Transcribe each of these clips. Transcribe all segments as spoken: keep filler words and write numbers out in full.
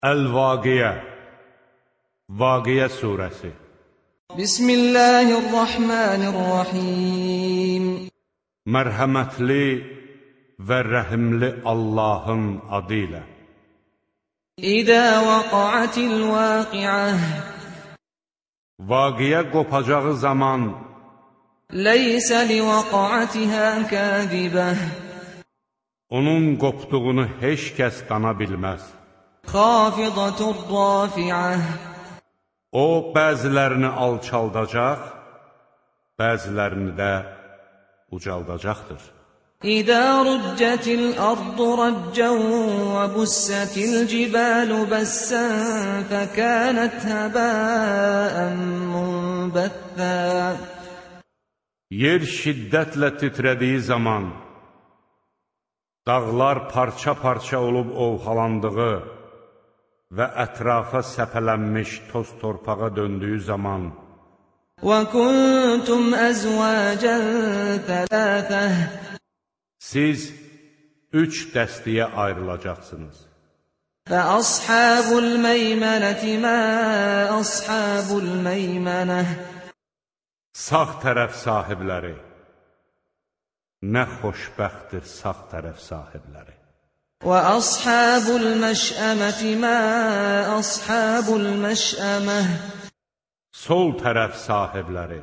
Əl-Vaqiyə Vaqiyə surəsi Bismillahirrahmanirrahim Mərhəmətli və rəhimli Allahın adı ilə. İdə vaqa'atil vaqi'ah Vaqiyə qopacağı zaman Leysə li vaqa'atihə kâzibəh onun qopduğunu heç kəs qana bilməz. Xafidatur rafi'ah O, bəzilərini alçaldacaq, bəzilərini də ucaldacaqdır. İdə rüccətil ardu raccən və bussətil cibəlu bəssən fəkənət həbəən munbəthə Yer şiddətlə titrədiyi zaman, dağlar parça-parça olub ovxalandığı və ətrafa səpələnmiş toz torpağa döndüyü zaman وَكُنْتُمْ أَزْوَاجًا ثَلَاثَةً Siz üç dəstəyə ayrılacaqsınız. فَأَصْحَابُ الْمَيْمَنَةِ مَا أَصْحَابُ الْمَيْمَنَةِ Sağ tərəf sahibləri, nə xoşbəxtdir sağ tərəf sahibləri. وَأَصْحَابُ الْمَشْأَمَةِ مَا أَصْحَابُ الْمَشْأَمَةِ Sol tərəf sahibləri,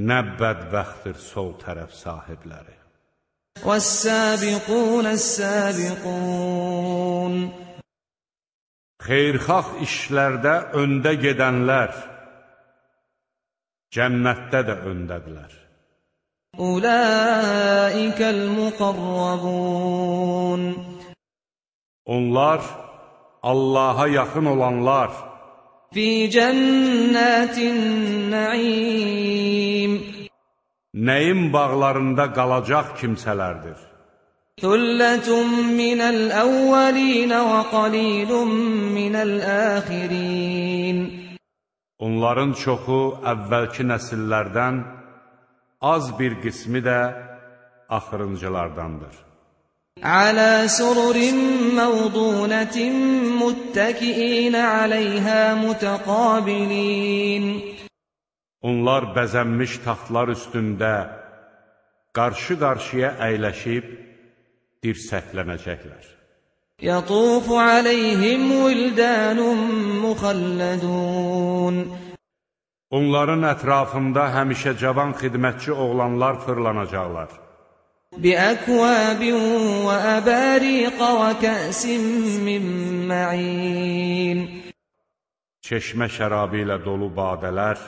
nə bədbəxtdir sol tərəf sahibləri. وَالسَّابِقُونَ السَّابِقُونَ Xeyrxalq işlərdə öndə gedənlər, cənnətdə də öndədirlər. أُولَٰئِكَ الْمُقَرَّبُونَ Onlar, Allaha yaxın olanlar, فِي جَنَّاتِ النَّعِيمِ nəyin bağlarında qalacaq kimsələrdir. ثُلَّةٌ مِّنَ الْأَوَّلِينَ وَقَلِيلٌ مِّنَ الْآخِرِينَ Onların çoxu əvvəlki nəsillərdən, az bir qismi də axırıncılardandır. عَلَى سُرُرٍ مَّوْضُونَةٍ مُّتَّكِئِينَ عَلَيْهَا مُتَقَابِلِينَ Onlar bəzənmiş taxtlar üstündə qarşı-qarşıya əyləşib dirsəklənəcəklər. يَطُوفُ عَلَيْهِمْ وِلْدَانٌ مُّخَلَّدُونَ Onların ətrafında həmişə cavan xidmətçi oğlanlar fırlanacaqlar. بِأَكْوَابٍ وَأَبَارِيقَ وَكَأْسٍ مِّن مَّعِينٍ Çeşmə şərabı ilə dolu badələr,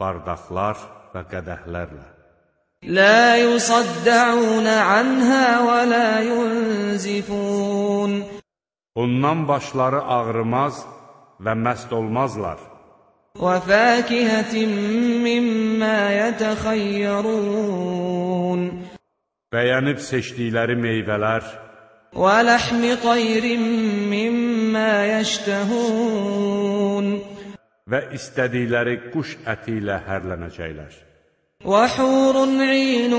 bardaqlar və qədəhlərlə. لَا يُصَدَّعُونَ عَنْهَا وَلَا يُنزِفُونَ Ondan başları ağrımaz və məst olmazlar. وَفَاكِهَةٍ مِّمَّا يَتَخَيَّرُونَ Bəyənib seçdikləri meyvələr, وَلَحْمِ طَيْرٍ مِّمَّا يَشْتَهُونَ və istədikləri quş əti ilə hərlənəcəklər. وَحُورٌ عِينٌ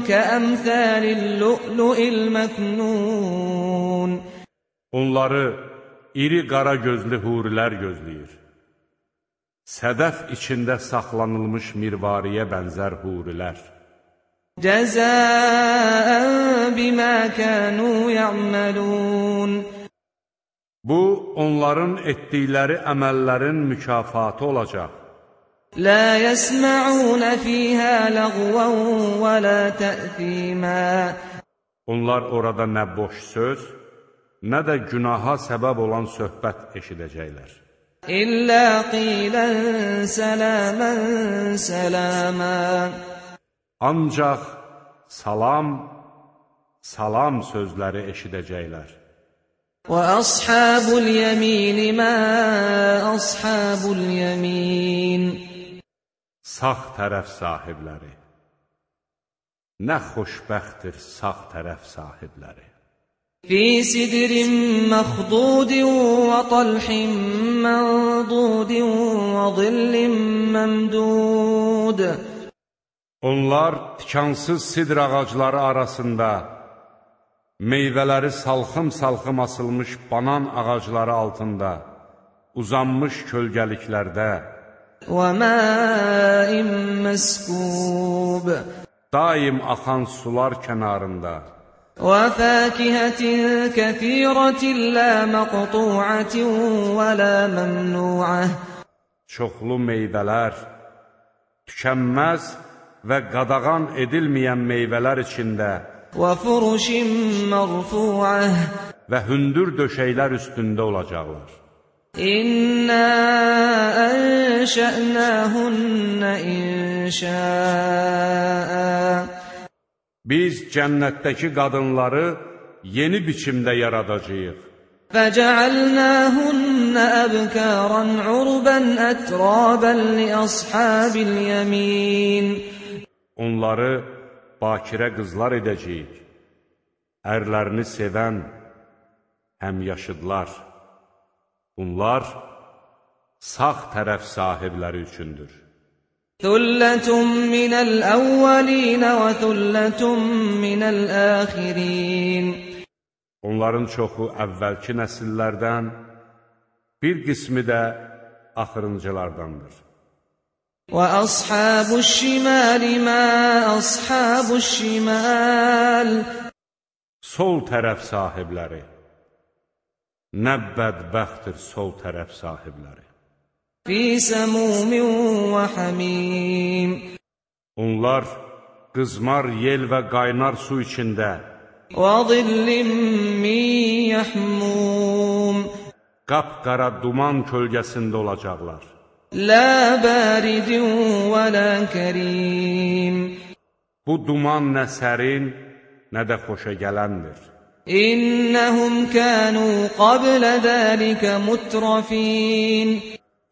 كَأَمْثَالِ اللُّؤْلُؤِ الْمَكْنُونِ Onları iri qara gözlü hurilər gözləyir. Sədəf içində saxlanılmış mirvariyə bənzər hurilər. جَزَاءً بِمَا كَانُوا يَعْمَلُونَ Bu, onların etdikləri əməllərin mükafatı olacaq. لَا يَسْمَعُونَ فِيهَا لَغْوًا وَلَا تَأْثِيمًا Onlar orada nə boş söz, nə də günaha səbəb olan söhbət eşidəcəklər. إِلَّا قِيلًا سَلَامًا سَلَامًا Ancaq salam, salam sözləri eşidəcəklər. وَأَصْحَابُ الْيَمِينِ مَا أَصْحَابُ الْيَمِينِ Sağ tərəf sahibləri, nə xoşbəxtdir sağ tərəf sahibləri. فِي سِدْرٍ مَّخْضُودٍ وَطَلْحٍ مَّنضُودٍ وَظِلٍّ مَّمْدُودٍ Onlar tikansız sidr ağacları arasında, meyvələri salxım-salxım asılmış banan ağacları altında, uzanmış kölgəliklərdə, وَمَاءٍ مَّسْكُوبٍ daim axan sular kənarında, وَفَاكِهَةٍ كَثِيرَةٍ لَا مَقْطُوعَةٍ وَلَا مَمْنُوعَةٍ çoxlu meyvələr, tükənməz və qadağan edilməyən meyvələr içində وَفُرُشٍ مَّرْفُوعَةٍ və hündür döşəklər üstündə olacaqlar. İnna anşa'nahunna insha'a Biz cənnətdəki qadınları yeni biçimdə yaradacağıq. فَجَعَلْنَاهُنَّ أَبْكَارًا عُرُبًا أَتْرَابًا لِأَصْحَابِ الْيَمِينِ Onları bakirə qızlar edəcəyik. Ərlərini sevən həmyaşıdlar. Bunlar sağ tərəf sahibləri üçündür. ثُلَّةٌ مِّنَ الْأَوَّلِينَ وَثُلَّةٌ مِّنَ الْآخِرِينَ Onların çoxu əvvəlki nəsillərdən, bir qismi də axırıncılardandır. وَأَصْحَابُ الشِّمَالِ مَا أَصْحَابُ الشِّمَالِ Sol tərəf sahibləri. Nə bədbəxtdir sol tərəf sahibləri. فِي سَمُومٍ وَحَمِيمٍ Onlar qızmar yel və qaynar su içində, وَظِلٍّ مِّن يَحْمُومٍ qapqara duman kölgəsində olacaqlar. لَا بَارِدٍ وَلَا كَرِيمٍ Bu duman nə sərin, nə də xoşa gələndir. إِنَّهُمْ كَانُوا قَبْلَ ذَلِكَ مُتْرَفِينَ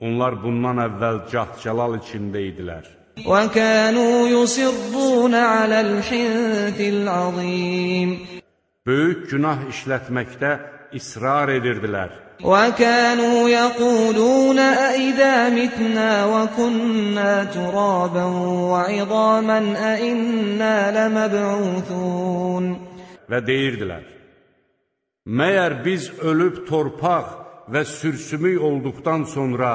Onlar bundan əvvəl cah-cəlal içində idilər. وَكَانُوا يُصِرُّونَ عَلَى الْحِنثِ الْعَظِيمِ Böyük günah işlətməkdə israr edirdilər. وَكَانُوا يَقُولُونَ أَإِذَا مِتْنَا وَكُنَّا تُرَابًا وَعِظَامًا أَإِنَّا لَمَبْعُوثُونَ Və deyirdilər, məyər biz ölüb torpaq və sürsümük olduqdan sonra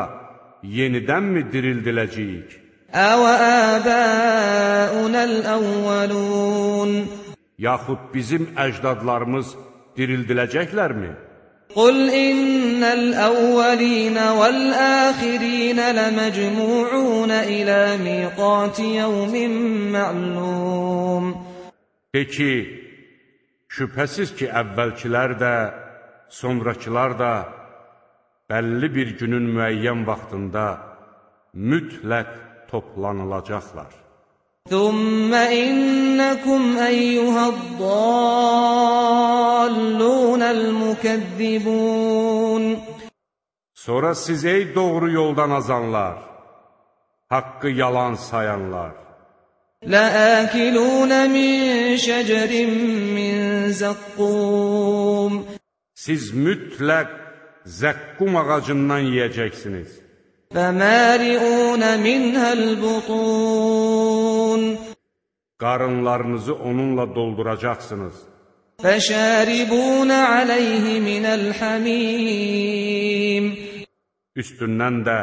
yenidənmi dirildiləcəyik? أَوَآبَاؤُنَا الْأَوَّلُونَ Yaxud bizim əcdadlarımız dirildiləcəklərmi? قُلْ إِنَّ الْأَوَّلِينَ وَالْآخِرِينَ لَمَجْمُوعُونَ إِلَى مِيقَاتِ يَوْمٍ مَّعْلُومٍ De ki, şübhəsiz ki, əvvəlkilər də, sonrakılar da bəlli bir günün müəyyən vaxtında mütləq toplanılacaqlar. ثُمَّ إِنَّكُمْ أَيُّهَا الضَّالُّونَ الْمُكَذِّبُونَ Sonra siz ey doğru yoldan azanlar, haqqı yalan sayanlar, لَآكِلُونَ مِنْ شَجَرٍ مِّنْ زَقُّومٍ siz mütləq zəqqum ağacından yeyəcəksiniz. فَمَالِئُونَ مِنْهَا الْبُطُونَ Qarınlarınızı onunla dolduracaqsınız. فَشَارِبُونَ عَلَيْهِ مِنَ الْحَمِيمِ Üstündən də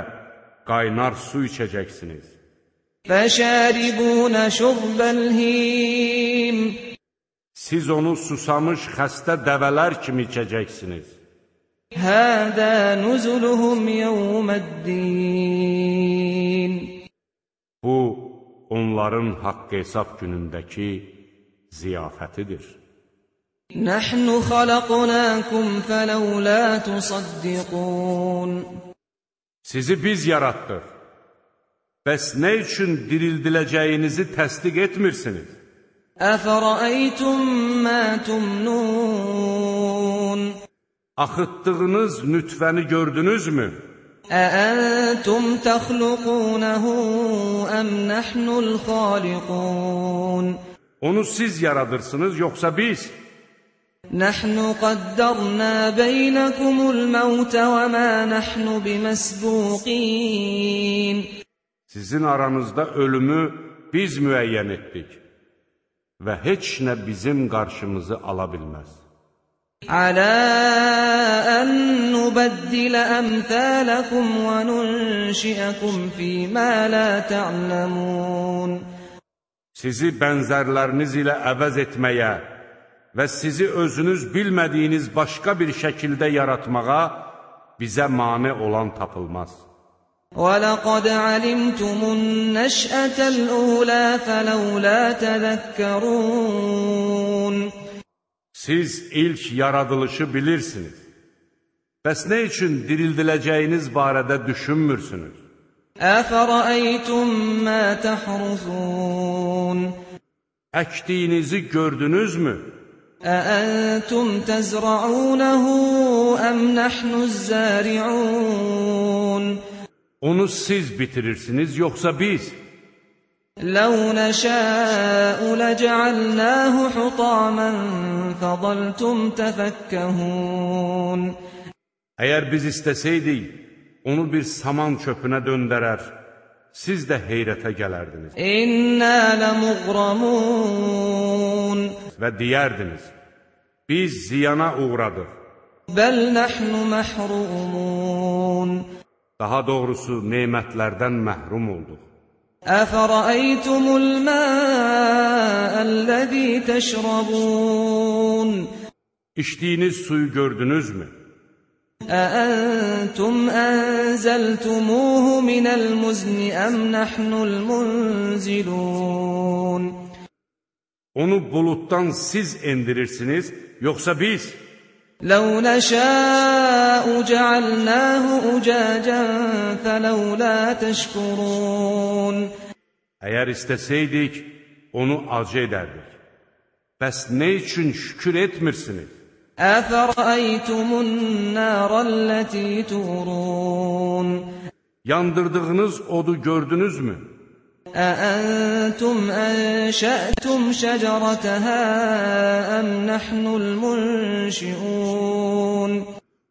qaynar su içəcəksiniz. فَشَارِبُونَ شُرْبَ الْهِيمِ Siz onu susamış xəstə dəvələr kimi içəcəksiniz. هَذَا نُزُلُهُمْ يَوْمَ الدِّينِ Bu, onların haqq hesab günündəki ziyafətidir. نَحْنُ خَلَقْنَاكُمْ فَلَوْلَا تُصَدِّقُونَ Sizi biz yaratdıq. Bəs nə üçün dirildiləcəyinizi təsdiq etmirsiniz? أَفَرَأَيْتُمْ مَا تُمْنُونَ Axıtdığınız nütfəni gördünüzmü? أَأَنْتُمْ تَخْلُقُونَهُ أَمْ نَحْنُ الْخَالِقُونَ Onu siz yaradırsınız, yoxsa biz? نَحْنُ قَدَّرْنَا بَيْنَكُمُ الْمَوْتَ وَمَا نَحْنُ بِمَسْبُوقِينَ Sizin aranızda ölümü biz müəyyən etdik və heç nə bizim qarşımızı ala bilməz. على أن نبدل أمثالكم وننشئكم فيما لا تعلمون. Sizi bənzərləriniz ilə əvəz etməyə və sizi özünüz bilmədiyiniz başqa bir şəkildə yaratmağa bizə mane olan tapılmaz. وَلَقَدْ عَلِمْتُمُ النَّشْأَةَ الْأُولَى فَلَوْلَا تَذَكَّرُونَ. Siz ilk yaradılışı bilirsiniz. Bəs nə üçün dirildiləcəyiniz barədə düşünmürsünüz? أَفَرَأَيْتُمْ مَا تَحْرُثُونَ. Əkdiyinizi gördünüzmü? أَأَنْتُمْ تَزْرَعُونَهُ أَمْ نَحْنُ الزَّارِعُونَ. Onu siz bitirirsiniz, yoxsa biz? لَوْ نَشَاءُ لَجَعَلْنَاهُ حُطَامًا فَظَلْتُمْ تَفَكَّهُونَ. Əgər biz istəsəydik, onu bir saman çöpünə döndərər, siz də heyrətə gələrdiniz. İnna lamugраmun. Və deyərdiniz, biz ziyana uğradıq. Bəl nahnu mahrumun. Daha doğrusu nemətlərdən məhrum olduq. Əfərəytumul mə'əl-ləzi təşrabun. İçdiyiniz suyu gördünüzmü? أأنتم أنزلتموه من المزن أم نحن المنزلون. Onu bulutdan siz endirirsiniz, yoxsa biz? لو نشاء جعلناه أجاجا فلولا تشكرون. Əgər istəsəydik, onu acı edərdik. Bəs nə üçün şükür etmirsiniz? أفرأيتم النار التي تورون. Yandırdığınız odu gördünüzmü? أأنتم أنشأتم شجرتها أم نحن المنشئون.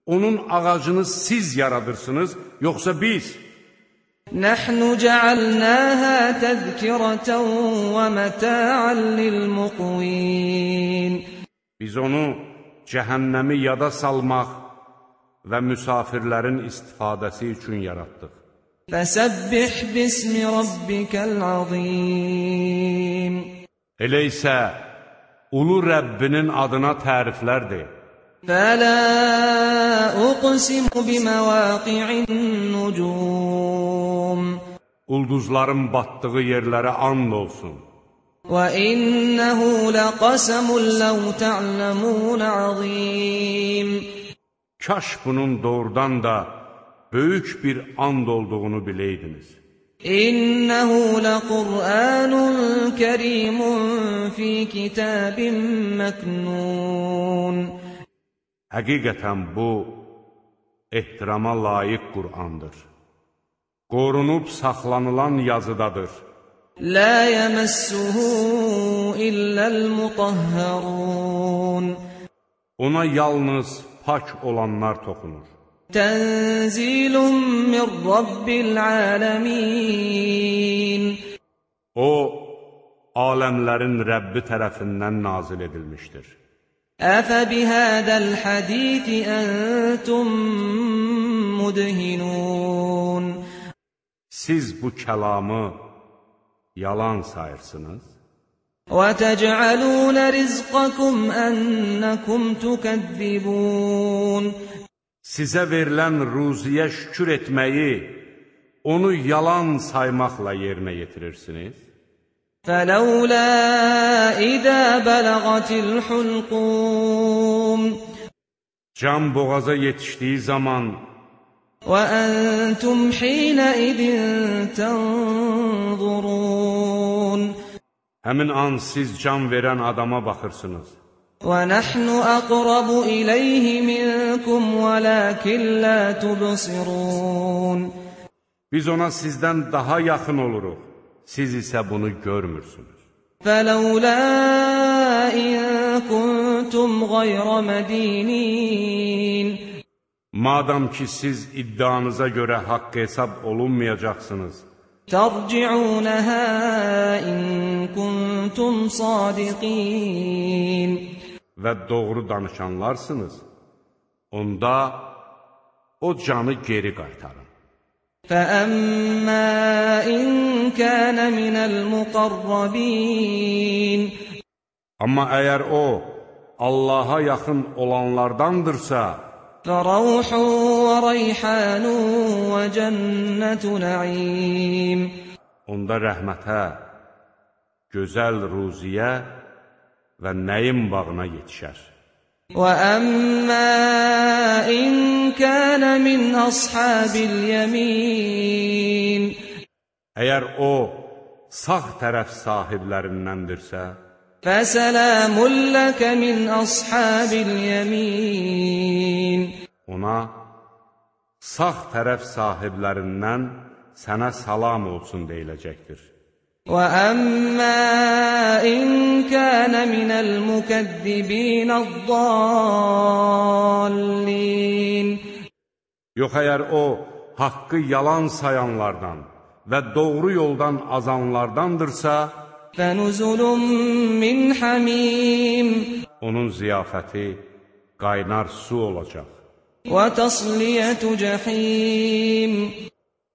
Onun ağacını siz yaradırsınız, yoxsa biz? نحن جعلناها تذكرة ومتاعا للمقوين. Biz onu cəhənnəmi yada salmaq və müsafirlərin istifadəsi üçün yaratdıq. Fəsəbbih bismi rabbikəl azim. Elə isə ulu Rəbbinin adına təriflər de. Fələ uqsimu biməvaqi'in nucum. Ulduzların batdığı yerlərə and olsun. وَإِنَّهُ لَقَسَمٌ لَوْ تَعْلَمُونَ عَظِيمٌ. Kaş bunun doğrudan da böyük bir and olduğunu biləydiniz. إِنَّهُ لَقُرْآنٌ كَرِيمٌ فِي كِتَابٍ مَكْنُونَ. Həqiqətən bu ehtirama layiq Qur'andır. Qorunub saxlanılan yazıdadır. La yemassuhu illal mutahharun. Ona yalnız pak olanlar toxunur. Tenzilun min rabbil alamin. O aləmlərin Rəbbi tərəfindən nazil edilmişdir. Əfə bihədəl hədisi əntum mudhinun. Siz bu kəlamı yalan sayırsınız. وَتَجْعَلُونَ رِزْقَكُمْ أَنَّكُمْ تُكَذِّبُونَ. Sizə verilən ruziyə şükür etməyi, onu yalan saymaqla yerinə yetirirsiniz. فَلَوْلَا إِذَا بَلَغَتِ الْحُلْقُومِ. Can boğaza yetişdiği zaman وَأَنْتُمْ حِينَئِذٍ تَنْظُرُونَ. Həmin an siz can verən adama baxırsınız. وَنَحْنُ أَقْرَبُ إِلَيْهِ مِنْكُمْ وَلَكِنْ لَا تُبْصِرُونَ. Biz ona sizdən daha yaxın oluruq. Siz isə bunu görmürsünüz. فَلَوْلَا إِنْ كُنْتُمْ غَيْرَ مَدِينِينَ. Madam ki siz iddianıza görə haqq hesab olunmayacaqsınız. تَرْجِعُونَهَا إِنْ كُنْتُمْ صَادِقِينَ. və doğru danışanlarsınız, onda o canı geri qaytarın. فَأَمَّا إِن كَانَ مِنَ الْمُقَرَّبِينَ Amma əgər o, Allaha yaxın olanlardandırsa, فَرَوْحٌ وَرَيْحَانٌ وَجَنَّةُ نَعِيمٍ onda rəhmətə, gözəl ruziyə və nəyim bağına yetişər. وَأَمَّا إِن كَانَ مِنْ أَصْحَابِ الْيَمِينِ Əgər o, sağ tərəf sahiblərindəndirsə, فَسَلَامٌ لَكَ مِنْ أَصْحَابِ الْيَمِينِ ona, sağ tərəf sahiblərindən sənə salam olsun deyiləcəkdir. وَأَمَّا إِن كَانَ مِنَ الْمُكَذِّبِينَ الضَّالِّينَ Yox, əgər o, haqqı yalan sayanlardan və doğru yoldan azanlardandırsa, فَنُزُلٌ مِّنْ حَمِيمٍ onun ziyafəti qaynar su olacaq. وَتَصْلِيَةُ جَحِيمٍ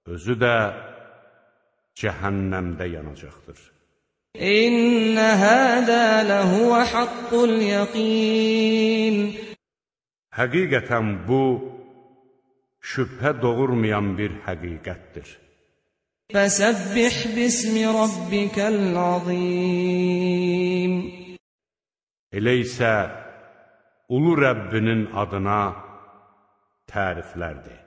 Özü də cəhənnəmdə yanacaqdır. إِنَّ هَذَا لَهُوَ حَقُّ الْيَقِينِ Həqiqətən bu, şübhə doğurmayan bir həqiqətdir. فَسَبِّحْ بِاسْمِ رَبِّكَ الْعَظِيمِ Elə isə, ulu Rəbbinin adına təriflərdir.